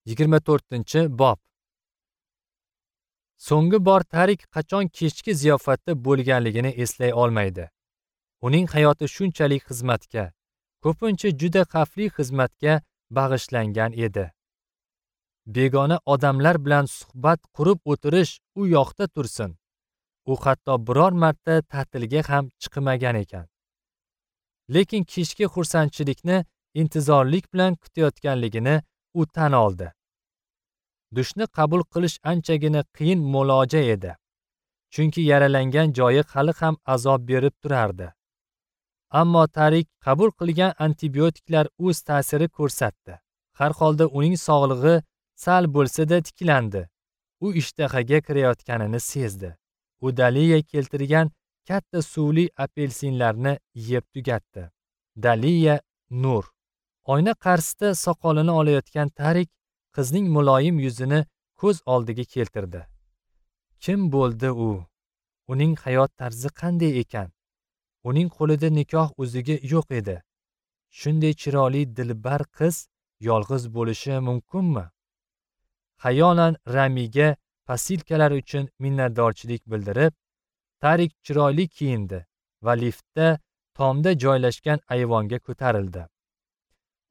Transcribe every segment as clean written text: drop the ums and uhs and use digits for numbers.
24-bob. So'nggi bor Tarik qachon kechki ziyofatda bo'lganligini eslay olmaydi. Uning hayoti shunchalik xizmatga, ko'pincha juda xavfli xizmatga bag'ishlangan edi. Begona odamlar bilan suhbat qurib o'tirish u yoqda tursin. U hatto biror marta ta'tilga ham chiqmagan ekan. Lekin kechki xursandchilikni intizorlik bilan kutayotganligini u tan oldi. Dushni qabul qilish anchagina qiyin muloja edi. Chunki yaralangan joyi hali ham azob berib turardi. Ammo Tarik qabul qilgan antibiotiklar o'z ta'siri ko'rsatdi. Har holda uning sog'lig'i sal bo'lsa-da tiklandi. U ishtahaga kirayotganini sezdi. U Daliya keltirgan katta suvli apelsinlarni yeb tugatdi. Daliya Nur. Oyna qarshisida soqolini olayotgan Tarik qizning muloyim yuzini ko'z oldiga keltirdi. Kim bo'ldi u? Uning hayot tarzi qanday ekan? Uning qo'lida nikoh uzugi yo'q edi. Shunday chiroyli dilbar qiz yolg'iz bo'lishi mumkinmi? Xayolan Ramiga posilkalar uchun minnatdorchilik bildirib, Tarik chiroyli kiyindi va liftda tomda joylashgan ayvonga ko'tarildi.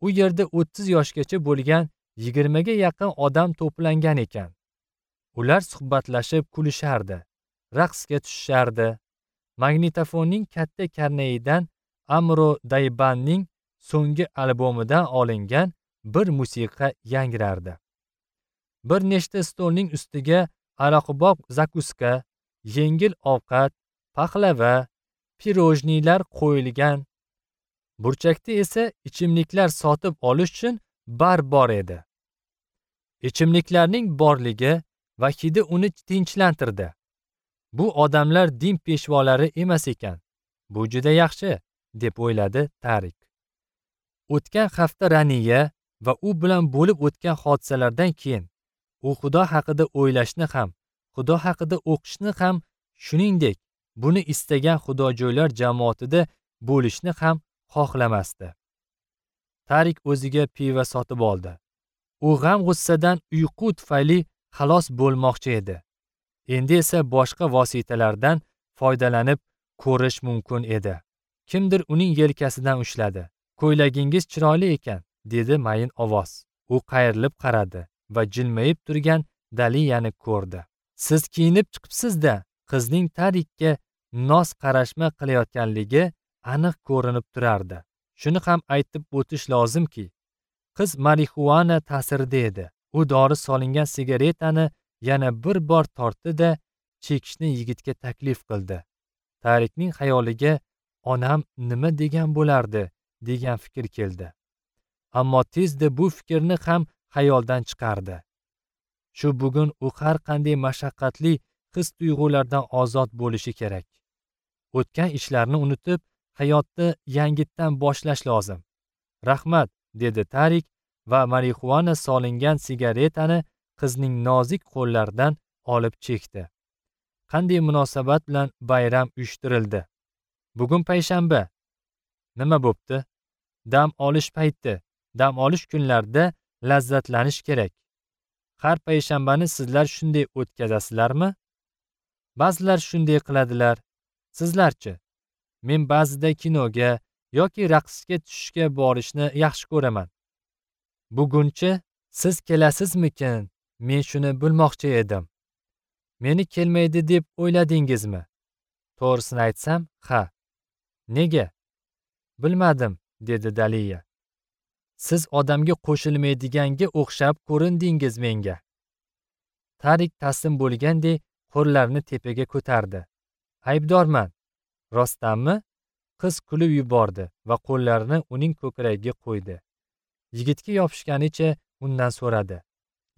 U yerda 30 yoshgacha bo'lgan 20 ga yaqin odam to'plangan ekan. Ular suhbatlashib kulishardi, raqsga tushishardi. Magnitofonning katta karnayidan Amro Daybanning so'nggi albomidan olingan bir musiqa yangrardi. Bir nechta stolning ustiga aroqbob zakuska, yengil ovqat, paxlava, pirojnilar qo'yilgan. Burchakda esa ichimliklar sotib olish uchun bar bor edi. Ichimliklarning borligi va hidi uni tinchlantirdi. Bu odamlar din peshvolari emas ekan. Bu juda yaxshi, deb o'yladi Tarik. O'tgan hafta Raniya va u bilan bo'lib o'tgan hodisalardan keyin u Xudo haqida o'ylashni ham, Xudo haqida o'qishni ham, shuningdek, buni istagan xudojo'ylar jamoatida bo'lishni ham xohlamasdi. Tarik o'ziga pivo sotib oldi. U g'am-g'ussadan uyqu tufayli xalos bo'lmoqchi edi. Endi esa boshqa vositalardan foydalanib ko'rish mumkin edi. Kimdir uning yelkasidan ushladi. "Ko'ylagingiz chiroyli ekan", dedi mayin ovoz. U qayrilib qaradi va jilmayib turgan Daliyani ko'rdi. "Siz kiyinib chiqibsiz-da", qizning Tarikka noz qarashma qilayotganligi aniq ko'rinib turardi. Shuni ham aytib o'tish lozimki, qiz marixuana ta'sirida edi. U dori solingan sigaretani yana bir bor tortdi-da, chekishni yigitga taklif qildi. Tarikning xayoliga onam nima degan bo'lardi degan fikr keldi. Ammo tezda bu fikrni ham xayoldan chiqardi. Shu bugun u har qanday mashaqqatli his-tuyg'ulardan ozod bo'lishi kerak. O'tgan ishlarni unutib, hayotni yangitdan boshlash lozim. "Rahmat", dedi Tarik va marixuana solingan sigaretani qizning nozik qo'llaridan olib chekdi. Qanday munosabat bilan bayram uyushtirildi? Bugun payshanba. Nima bo'pti? Dam olish payti. Dam olish kunlarida lazzatlanish kerak. Har payshanbani sizlar shunday o'tkazasizlarmi? Ba'zilar shunday qiladilar. Sizlarchi? Men ba'zida kinoga yoki raqsga tushishga borishni yaxshi ko'raman. Bugunchi siz kelasizmikin? Men shuni bilmoqchi edim. Meni kelmaydi deb o'yladingizmi? To'g'risini aytsam, ha. Nega? Bilmadim, dedi Daliya. Siz odamga qo'shilmaydiganga o'xshab ko'rindingiz menga. Tarik taslim bo'lgandek qo'llarini tepaga ko'tardi. Aybdorman. Rostdanmi? Qiz kulib yubordi va qo'llarini uning ko'kragiga qo'ydi. Yigitga yopishganicha undan so'radi.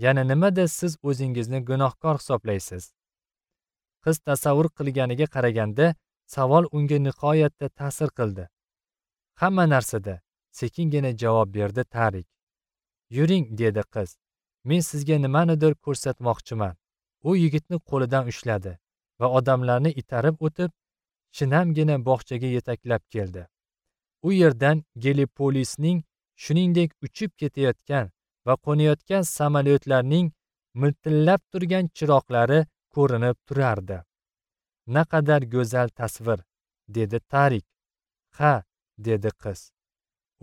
Yana nimada siz o'zingizni gunohkor hisoblaysiz? Qiz tasavvur qilganiga qaraganda savol unga nihoyatda ta'sir qildi. Hamma narsada, sekingina javob berdi Tarik. Yuring, dedi qiz. Men sizga nimanidir ko'rsatmoqchiman. U yigitni qo'lidan ushladi va odamlarni itarib o'tib, shinamgina bog'chaga yetaklab keldi. U yerdan Gelipolisning shuningdek uchib ketayotgan va qo'nayotgan samolyotlarning miltillab turgan chiroqlari ko'rinib turardi. Naqadar go'zal tasvir, dedi Tarik. Ha, dedi qiz.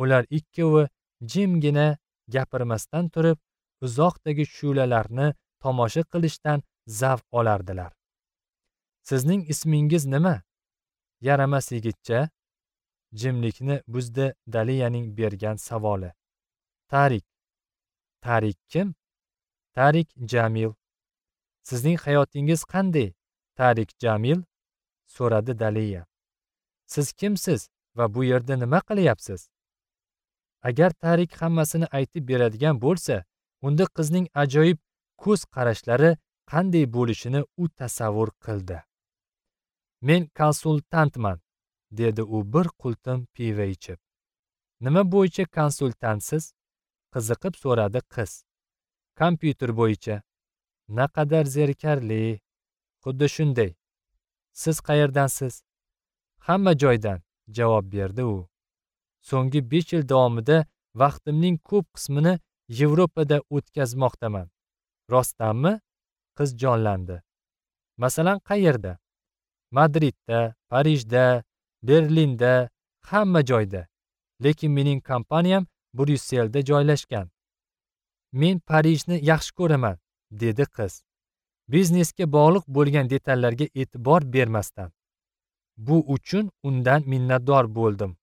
Ular ikkovi jimgina gapirmasdan turib, uzoqdagi shu'lalarni tomosha qilishdan zavq olardilar. Sizning ismingiz nima? Yaramas yigitcha. Jimlikni buzdi Daliyaning bergan savoli. Tarik. Tarik kim? Tarik Jamil. Sizning hayotingiz qanday, Tarik Jamil? So'radi Daliya. Siz kimsiz va bu yerda nima qilyapsiz? Agar Tarik hammasini aytib beradigan bo'lsa, unda qizning ajoyib ko'z qarashlari qanday bo'lishini u tasavvur qildi. Men konsultantman, dedi u bir qultum pivo ichib. Nima bo'yicha konsultantsiz? Qiziqib so'radi qiz. Kompyuter bo'yicha. Naqadar zerikarli. Xuddi shunday. Siz qayerdansiz? Hamma joydan, javob berdi u. So'nggi 5 yil davomida vaqtimning ko'p qismini Yevropada o'tkazmoqdaman. Rostdanmi? Qiz jonlandi. Masalan, qayerda? Madridda, Parijda, Berlinda, hamma joyda. Lekin mening kompaniyam Bryusselda joylashgan. Men Parijni yaxshi ko'raman, dedi qiz. Biznesga bog'liq bo'lgan detallarga e'tibor bermasdan. Bu uchun undan minnatdor bo'ldim.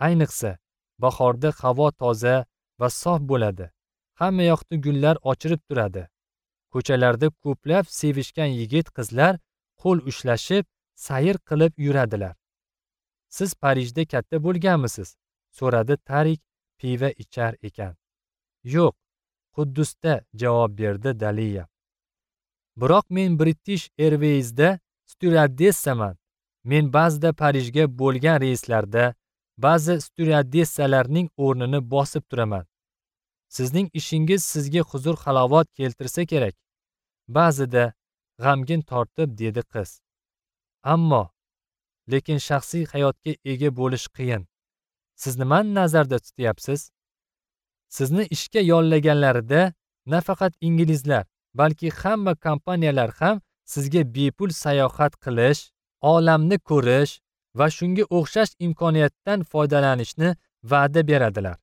Ayniqsa, bahorda havo toza va sof bo'ladi. Hamma yoqda gullar ochilib turadi. Ko'chalarda ko'plab sevishgan yigit qizlar qo'l ushlashib, sayr qilib yuradilar. Siz Parijda katta bo'lganmisiz? So'radi Tarik pivo ichar ekan. Yo'q, Quddusda, javob berdi Daliya. Biroq men British Airways'da styuardessaman. Men ba'zida Parijga bo'lgan reyslarda ba'zi styuardessalarning o'rnini bosib turaman. Sizning ishingiz sizga huzur-halovat keltirsa kerak. Ba'zida g'amgin tortib dedi qiz. Ammo lekin shaxsiy hayotga ega bo'lish qiyin. Siz nimani nazarda tutyapsiz? Sizni ishga yollaganlarida nafaqat inglizlar, balki hamma kompaniyalar ham sizga bepul sayohat qilish, olamni ko'rish va shunga o'xshash imkoniyatdan foydalanishni va'da beradilar.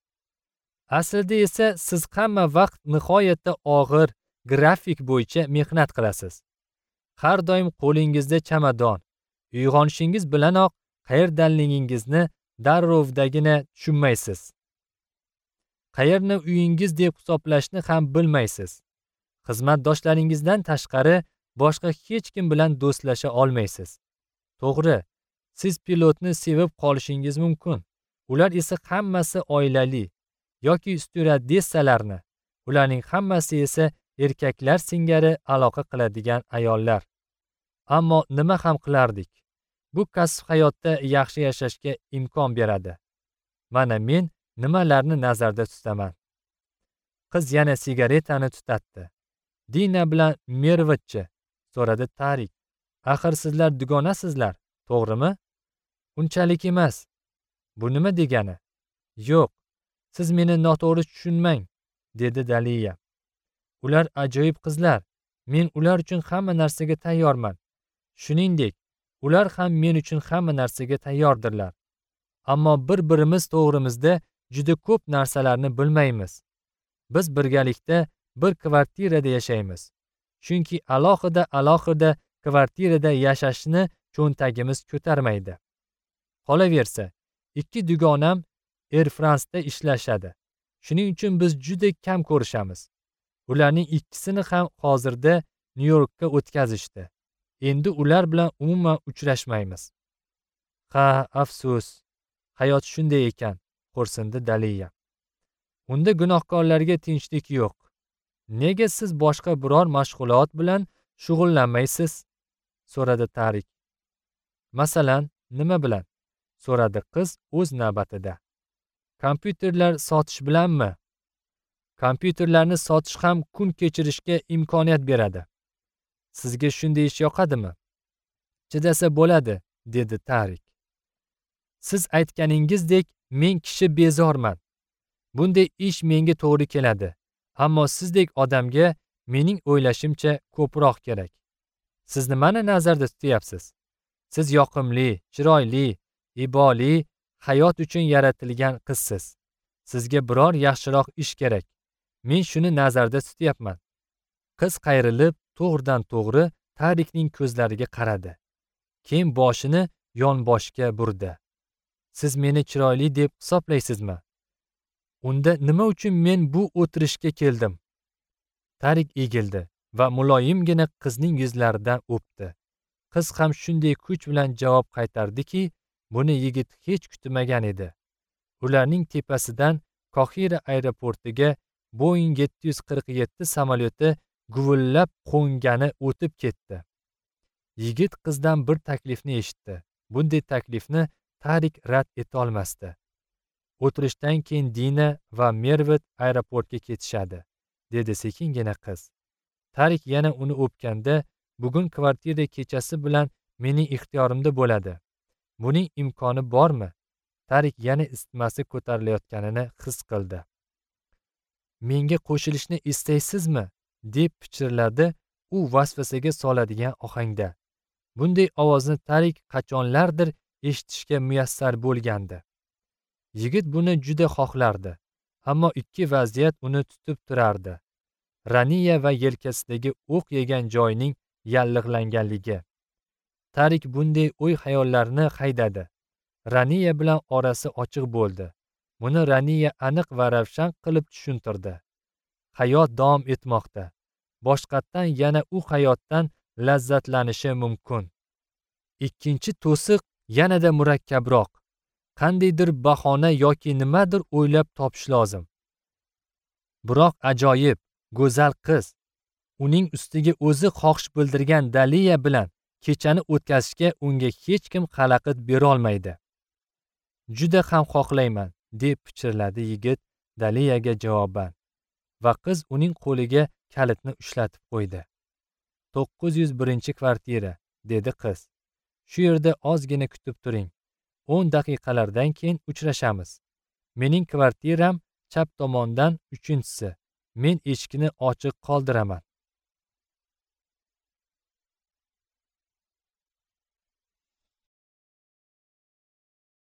Aslida esa siz hamma vaqt nihoyatda og'ir grafik bo'yicha mehnat qilasiz. Har doim qo'lingizda chamadon. Uyg'onishingiz bilanoq qayerdanligingizni darrovdagina tushunmaysiz. Qayerni uyingiz deb hisoblashni ham bilmaysiz. Xizmatdoshlaringizdan tashqari boshqa hech kim bilan do'stlasha olmaysiz. To'g'ri, siz pilotni sevib qolishingiz mumkin. Ular esa hammasi oilali yoki styuardessalarni, ularning hammasi esa erkaklar singari aloqa qiladigan ayollar. Ammo nima ham qilardik? Bu kasb hayotda yaxshi yashashga imkon beradi. Mana men nimalarni nazarda tutaman. Qiz yana sigaretani tutatdi. Dina bilan Mervatchi? So'radi Tarik. Axir sizlar dugonasizlar, to'g'rimi? Unchalik emas. Bu nima degani? Yo'q, siz meni noto'g'ri tushunmang, dedi Daliya. Ular ajoyib qizlar. Men ular uchun hamma narsaga tayyorman. Shuningdek, ular ham men uchun hamma narsaga tayyordirlar. Ammo bir-birimiz to'g'rimizda juda ko'p narsalarni bilmaymiz. Biz birgalikda bir kvartirada yashaymiz. Chunki alohida kvartirada yashashni cho'ntagimiz ko'tarmaydi. Qolaversa, ikki dugonam Air France'da ishlashadi. Shuning uchun biz juda kam ko'rishamiz. Ularning ikkisini ham hozirda Nyu-Yorkka o'tkazishdi. Endi ular bilan umuman uchrashmaymiz. Ha, afsus. Hayot shunday ekan, xo'rsindi Daliya. Unda gunohkorlarga tinchlik yo'q. Nega siz boshqa biror mashg'ulot bilan shug'ullanmaysiz? So'radi Tarik. Masalan, nima bilan? So'radi qiz o'z navbatida. Kompyuterlar sotish bilanmi? Kompyuterlarni sotish ham kun kechirishga imkoniyat beradi. Sizga shunday ish yoqadimi? Chidasa bo'ladi, dedi Tarik. Siz aytganingizdek, men kishi bezorman. Bunday ish menga to'g'ri keladi. Ammo sizdek odamga mening o'ylashimcha ko'proq kerak. Siz nimani nazarda tutyapsiz? Siz yoqimli, chiroyli, iboli, hayot uchun yaratilgan qizsiz. Sizga biror yaxshiroq ish kerak. Men shuni nazarda tutyapman. Qiz qayrilib, to'g'ridan to'g'ri Tarikning ko'zlariga qaradi. Keyin boshini yonboshga burdi. Siz meni chiroyli deb hisoblaysizmi? Unda nima uchun men bu o'tirishga keldim? Tarik egildi va muloyimgina qizning yuzlaridan o'pdi. Qiz ham shunday kuch bilan javob qaytardiki, buni yigit hech kutmagan edi. Ularning tepasidan Qohira aeroportiga Boeing 747 samolyoti guvillab qo'ngani o'tib ketdi. Yigit qizdan bir taklifni eshitdi. Bunday taklifni Tarik rad eta olmasdi. O'tirishdan keyin Dina va Mervat aeroportga ketishadi, dedi sekingina qiz. Tarik yana uni o'pganda, bugun kvartira kechasi bilan mening ixtiyorimda bo'ladi. Buning imkoni bormi? Tarik yana isitmasi ko'tarilayotganini his qildi. Menga qo'shilishni istaysizmi? Deb pichirladi u vasvasaga soladigan ohangda. Bunday ovozni Tarik qachonlardir eshitishga muyassar bo'lgandi. Yigit buni juda xohlardi, ammo ikki vaziyat uni tutib turardi. Raniya va yelkasidagi o'q yegan joyining yallig'langanligi. Tarik bunday o'y-xayollarni haydadi. Raniya bilan orasi ochiq bo'ldi. Buni Raniya aniq va ravshan qilib tushuntirdi. Hayot davom etmoqda. Boshqatdan yana u hayotdan lazzatlanishi mumkin. Ikkinchi to'siq yanada murakkabroq. Qandaydir bahona yoki nimadir o'ylab topish lozim. Biroq ajoyib, go'zal qiz, uning ustiga o'zi xohish bildirgan Daliya bilan kechani o'tkazishga unga hech kim xalaqit bera olmaydi. Juda ham xohlayman, deb pichirladi yigit Daliyaga javoban. Va qiz uning qo'liga kalitni ushlatib qo'ydi. 901-kvartira, dedi qiz. Shu yerda ozgina kutib turing. 10 daqiqalardan keyin uchrashamiz. Mening kvartiram chap tomondan 3-chisi. Men eshikni ochiq qoldiraman.